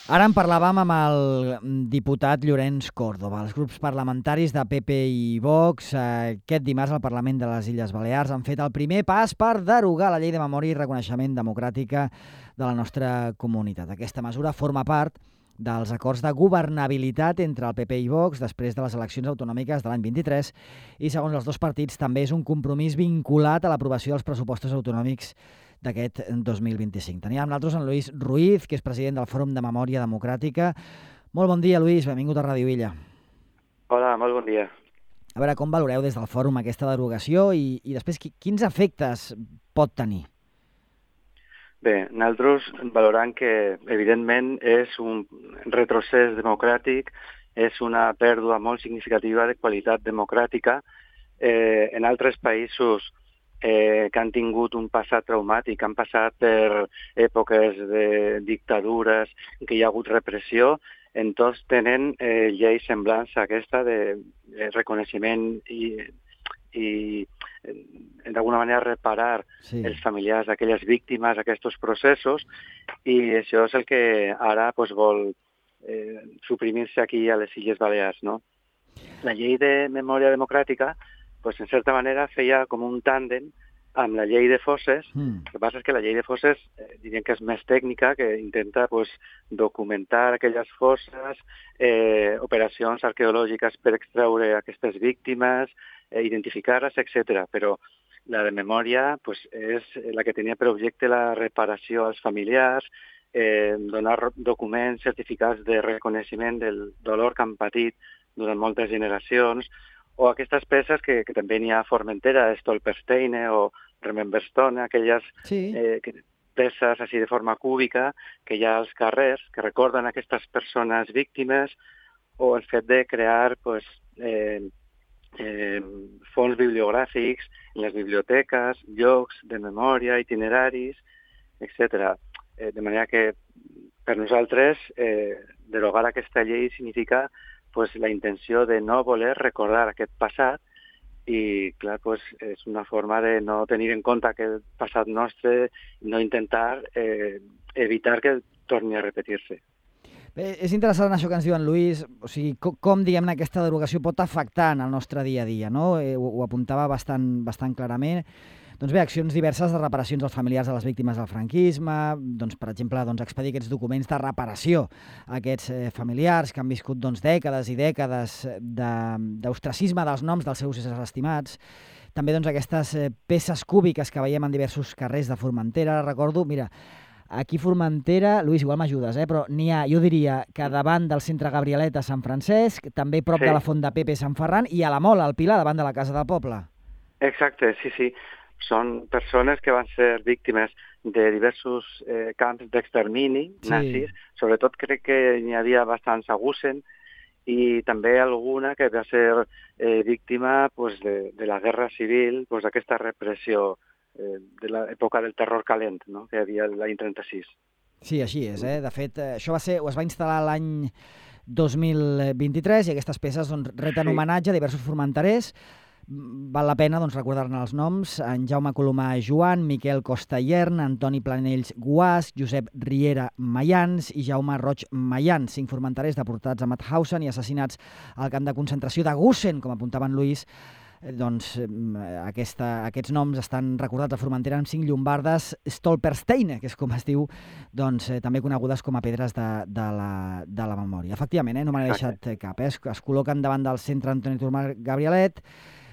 Ara en parlàvem amb el diputat Llorenç Córdoba. Els grups parlamentaris de PP i Vox aquest dimarts al Parlament de les Illes Balears han fet el primer pas per derogar la llei de memòria i reconeixement democràtica de la nostra comunitat. Aquesta mesura forma part dels acords de governabilitat entre el PP i Vox després de les eleccions autonòmiques de l'any 23 i, segons els dos partits, també és un compromís vinculat a l'aprovació dels pressupostos autonòmics d'aquest 2025. Teníem amb nosaltres en Lluís Ruiz, que és president del Fòrum de Memòria Democràtica. Molt bon dia, Lluís. Benvingut a Ràdio Illa. Hola, molt bon dia. A veure, com valoreu des del Fòrum aquesta derogació i després quins efectes pot tenir? Bé, nosaltres valorant que, evidentment, és un retrocés democràtic, és una pèrdua molt significativa de qualitat democràtica. En altres països que han tingut un passat traumàtic, han passat per èpoques de dictadures, que hi ha hagut repressió, en tots tenen lleis semblants a aquesta de reconeixement i d'alguna manera reparar els familiars d'aquelles víctimes, aquests processos, i això és el que ara vol suprimir-se aquí a les Illes Balears, no? La llei de memòria democràtica, en certa manera, feia com un tàndem amb la llei de fosses. El que passa és que la llei de fosses diríem que és més tècnica, que intenta documentar aquelles fosses, operacions arqueològiques per extreure aquestes víctimes, identificar-les, etc. Però la de memòria és la que tenia per objecte la reparació als familiars, donar documents, certificats de reconeixement del dolor que han patit durant moltes generacions, o aquestes peces que també n'hi ha a Formentera, Stolpersteine o Rememberstone, aquelles peces així de forma cúbica que hi ha als carrers, que recorden aquestes persones víctimes, o el fet de crear fons bibliogràfics en les biblioteques, llocs de memòria, itineraris, etc. De manera que per nosaltres derogar aquesta llei significa la intenció de no voler recordar aquest passat i, clar, és una forma de no tenir en compte aquest passat nostre i no intentar evitar que torni a repetir-se. Bé, és interessant això que ens diu en Lluís, o sigui, com diguem-ne, aquesta derogació pot afectar en el nostre dia a dia, no? Ho apuntava bastant clarament. Doncs bé, accions diverses de reparacions als familiars de les víctimes del franquisme, doncs, per exemple, expedir aquests documents de reparació a aquests familiars que han viscut dècades i dècades d'ostracisme dels noms dels seus éssers estimats. També aquestes peces cúbiques que veiem en diversos carrers de Formentera. Recordo, mira, aquí a Formentera, Lluís, igual m'ajudes, però n'hi ha, jo diria, que davant del centre Gabrialet a Sant Francesc, també prop de la Font de Pepe Sant Ferran, i a la Mola, al Pilar, davant de la Casa del Poble. Exacte, sí. Són persones que van ser víctimes de diversos camps d'extermini nazis. Sobretot crec que n'hi havia bastants a Gusen i també alguna que va ser víctima de la guerra civil, d'aquesta repressió de l'època del terror calent, no?, que hi havia l'any 36. Sí, així és. De fet, això es va instal·lar l'any 2023 i aquestes peces reten homenatge a diversos formenterers. Val la pena recordar-ne els noms: en Jaume Colomà Joan, Miquel Costa-Iern, Antoni Planells Guàs, Josep Riera Mayans i Jaume Roig Mayans, 5 formenterers deportats a Mauthausen i assassinats al camp de concentració de Gusen, com apuntava en Lluís. Aquests noms estan recordats a Formentera amb 5 llombardes Stolpersteine, que és com es diu, també conegudes com a pedres de la memòria. Efectivament, no me n'he deixat cap. Es col·loquen davant del centre Antoni Turmar Gabrialet,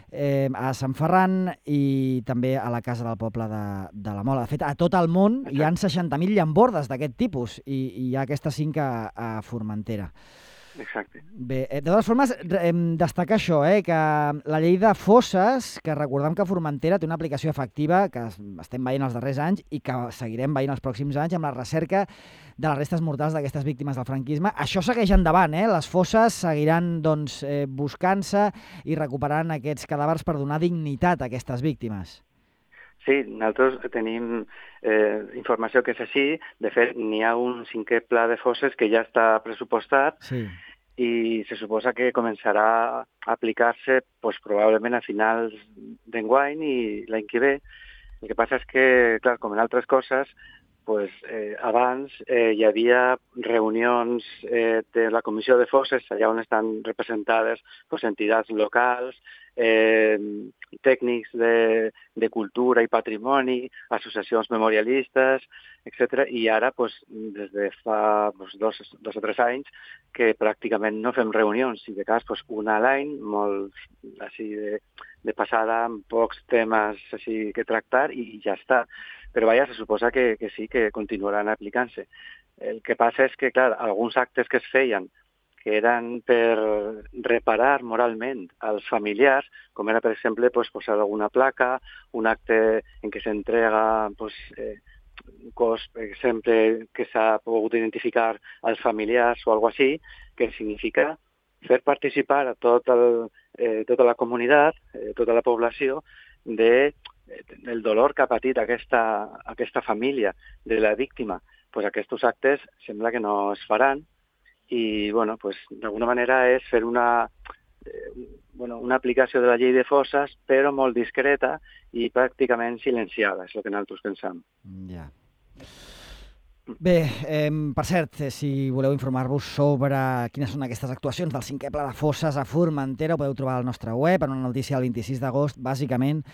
a Sant Ferran i també a la Casa del Poble de la Mola. De fet, a tot el món hi ha 60.000 llambordes d'aquest tipus i hi ha aquestes 5 a Formentera. Exacte. Bé, de totes formes, destacar això, que la llei de fosses, que recordem que Formentera té una aplicació efectiva que estem veient els darrers anys i que seguirem veient els pròxims anys amb la recerca de les restes mortals d'aquestes víctimes del franquisme. Això segueix endavant, les fosses seguiran buscant-se i recuperant aquests cadàvers per donar dignitat a aquestes víctimes. Sí, nosaltres tenim informació que és així. De fet, n'hi ha un 5è pla de fosses que ja està pressupostat i se suposa que començarà a aplicar-se probablement a finals d'enguany i l'any que ve. El que passa és que, clar, com en altres coses, abans hi havia reunions de la Comissió de Fosses, allà on estan representades entitats locals, tècnics de cultura i patrimoni, associacions memorialistes, etc. I ara, des de fa 2 o 3 anys, que pràcticament no fem reunions, i de cas una a l'any, molt així de passada, amb pocs temes així que tractar, i ja està. Però vaja, se suposa que sí, que continuaran aplicant-se. El que passa és que, clar, alguns actes que es feien que eren per reparar moralment als familiars, com era, per exemple, posar alguna placa, un acte en què s'entrega un cos, per exemple, que s'ha pogut identificar als familiars o alguna cosa així, que significa fer participar a tota la comunitat, tota la població, del dolor que ha patit aquesta família de la víctima. Aquests actes sembla que no es faran, i d'alguna manera és fer una aplicació de la llei de fosses, però molt discreta i pràcticament silenciada, és el que nosaltres pensam. Ja. Bé, per cert, si voleu informar-vos sobre quines són aquestes actuacions del 5è Pla de Fosses a Formentera, ho podeu trobar al nostre web, en una notícia del 26 d'agost. Bàsicament,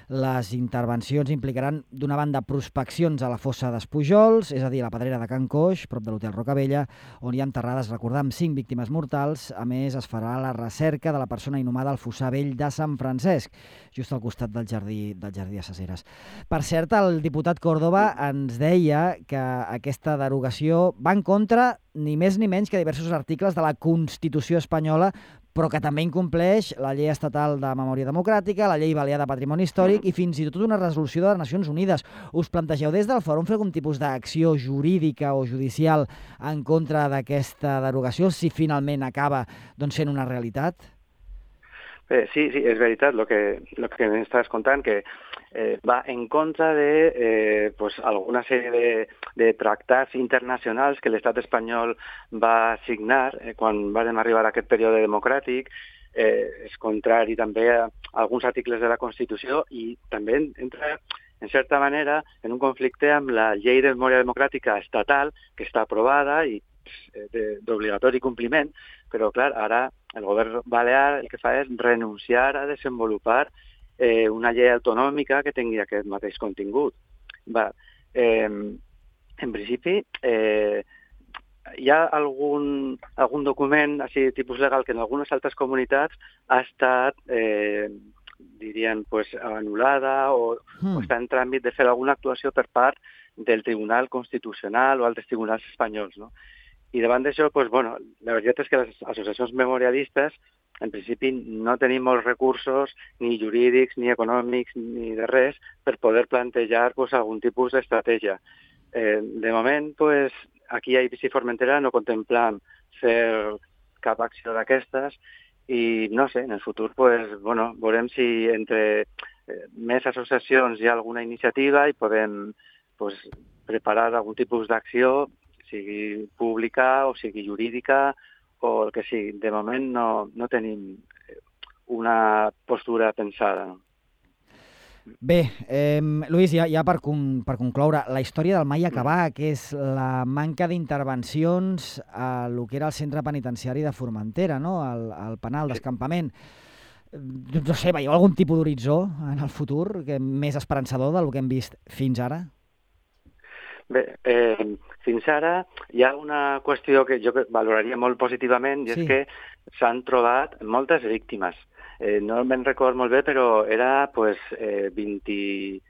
les intervencions implicaran, d'una banda, prospeccions a la fossa d'Espujols, és a dir, a la pedrera de Can Coix, prop de l'Hotel Rocabella, on hi ha enterrades, recordam, 5 víctimes mortals. A més, es farà la recerca de la persona inhumada al fossar vell de Sant Francesc, just al costat del jardí de Ses. Per cert, el diputat Córdoba ens deia que aquesta derogació va en contra ni més ni menys que diversos articles de la Constitució espanyola, però que també incompleix la Llei Estatal de Memòria Democràtica, la Llei Balear de Patrimoni Històric i fins i tot una resolució de les Nacions Unides. Us plantegeu des del Fòrum fer algun tipus d'acció jurídica o judicial en contra d'aquesta derogació, si finalment acaba sent una realitat? Sí, és veritat el que m'estàs contant, que va en contra de alguna sèrie de tractats internacionals que l'estat espanyol va signar quan vam arribar a aquest període democràtic. És contrari també a alguns articles de la Constitució i també entra, en certa manera, en un conflicte amb la llei de memòria democràtica estatal, que està aprovada i d'obligatori compliment, però clar, ara el govern balear el que fa és renunciar a desenvolupar una llei autonòmica que tingui aquest mateix contingut. En principi, hi ha algun document així tipus legal que en algunes altres comunitats ha estat, diríem, anul·lada o està en tràmit de fer alguna actuació per part del Tribunal Constitucional o altres tribunals espanyols, no? I davant d'això, la veritat és que les associacions memorialistes, en principi, no tenim molts recursos, ni jurídics, ni econòmics, ni de res, per poder plantejar algun tipus d'estratègia. De moment, aquí a Eivissa i Formentera no contemplem fer cap acció d'aquestes i, no sé, en el futur, veurem si entre més associacions hi ha alguna iniciativa i podem preparar algun tipus d'acció, sigui pública o sigui jurídica o el que sigui. De moment no tenim una postura pensada. Bé, Lluís, ja per concloure, la història del mai acabar, que és la manca d'intervencions a lo que era el centre penitenciari de Formentera, no? al penal d'escampament. No sé, veieu algun tipus d'horitzó en el futur més esperançador del que hem vist fins ara? Bé, fins ara hi ha una qüestió que jo valoraria molt positivament i és que s'han trobat moltes víctimes. No me'n record molt bé, però era 20 i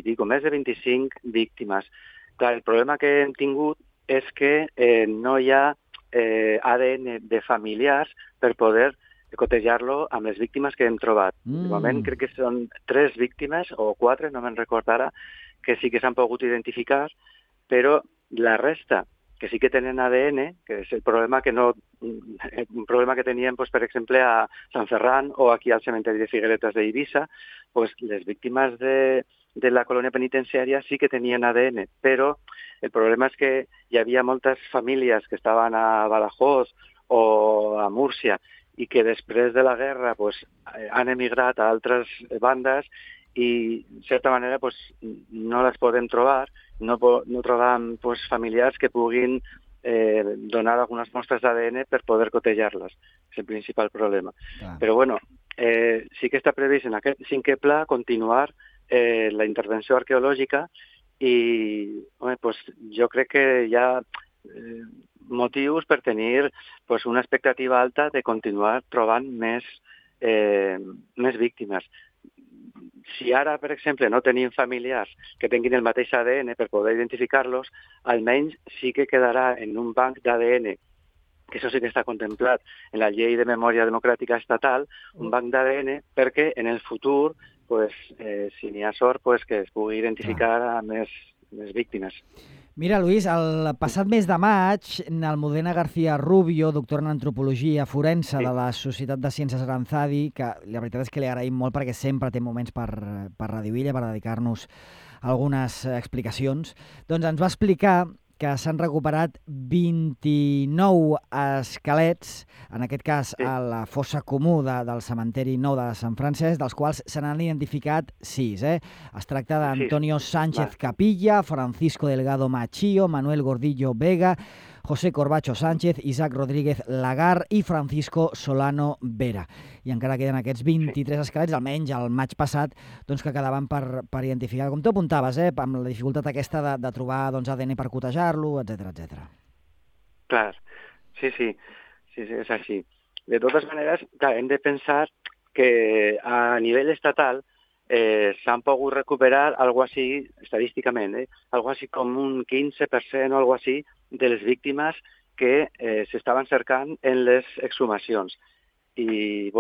pico, més de 25 víctimes. Clar, el problema que hem tingut és que no hi ha ADN de familiars per poder cotejar-lo amb les víctimes que hem trobat. De moment crec que són 3 víctimes o 4, no me'n record ara, que sí que s'han pogut identificar, però la resta, que sí que tenen ADN, que és el problema un problema que teníem, per exemple, a Sant Ferran o aquí al cementeri de Figueretes d'Eivissa, les víctimes de la colònia penitenciària sí que tenien ADN, però el problema és que hi havia moltes famílies que estaven a Badajoz o a Múrcia i que després de la guerra han emigrat a altres bandes i, en certa manera, no les podem trobar, no trobam familiars que puguin donar algunes mostres d'ADN per poder cotejar-les. És el principal problema. Però, bueno, sí que està previst en aquest 5è pla continuar la intervenció arqueològica i jo crec que hi ha motius per tenir una expectativa alta de continuar trobant més víctimes. Si ara, per exemple, no tenim familiars que tinguin el mateix ADN per poder identificar-los, almenys sí que quedarà en un banc d'ADN, que això sí que està contemplat en la Llei de Memòria Democràtica Estatal, un banc d'ADN perquè en el futur, si n'hi ha sort, que es pugui identificar a més víctimes. Mira, Luis, el passat mes de maig, l'Almudena García Rubio, doctora en antropologia forense de la Societat de Ciències Aranzadi, que la veritat és que li agraïm molt perquè sempre té moments per Radio Illa, per dedicar-nos algunes explicacions, doncs ens va explicar que s'han recuperat 29 esquelets, en aquest cas a la fossa comú del cementeri nou de Sant Francesc, dels quals se n'han identificat 6. Es tracta d'Antonio Sánchez Capilla, Francisco Delgado Machío, Manuel Gordillo Vega, José Corbacho Sánchez, Isaac Rodríguez Lagar i Francisco Solano Vera. I encara queden aquests 23 esquelets, almenys el maig passat, doncs, que quedaven per identificar. Com tu apuntaves, amb la dificultat aquesta de trobar ADN per cotejar-lo, etc. Clar, sí, és així. De totes maneres, hem de pensar que a nivell estatal s'han pogut recuperar algo així, estadísticament, algo així com un 15% o algo així de les víctimes que s'estaven cercant en les exhumacions. I,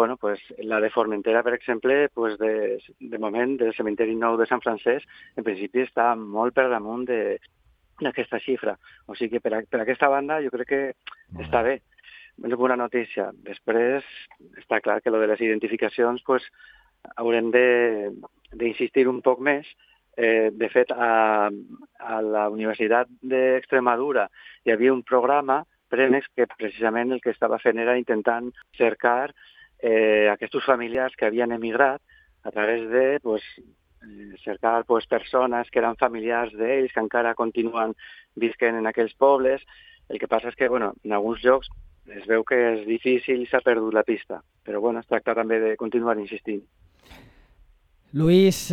la de Formentera, per exemple, de moment, del cementeri nou de Sant Francesc, en principi està molt per damunt d'aquesta xifra. O sigui que per aquesta banda jo crec que està bé. És bona notícia. Després, està clar que lo de les identificacions haurem d'insistir un poc més. De fet, a la Universitat d'Extremadura hi havia un programa, Premex, que precisament el que estava fent era intentant cercar aquests familiars que havien emigrat a través de cercar persones que eren familiars d'ells, que encara continuen visquent en aquells pobles. El que passa és que en alguns llocs es veu que és difícil i s'ha perdut la pista. Però es tracta també de continuar insistint. Luis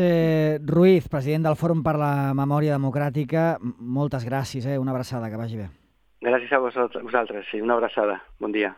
Ruiz, president del Fòrum per la Memòria Democràtica, moltes gràcies, una abraçada, que vagi bé. Gràcies a vosaltres, sí, una abraçada. Bon dia.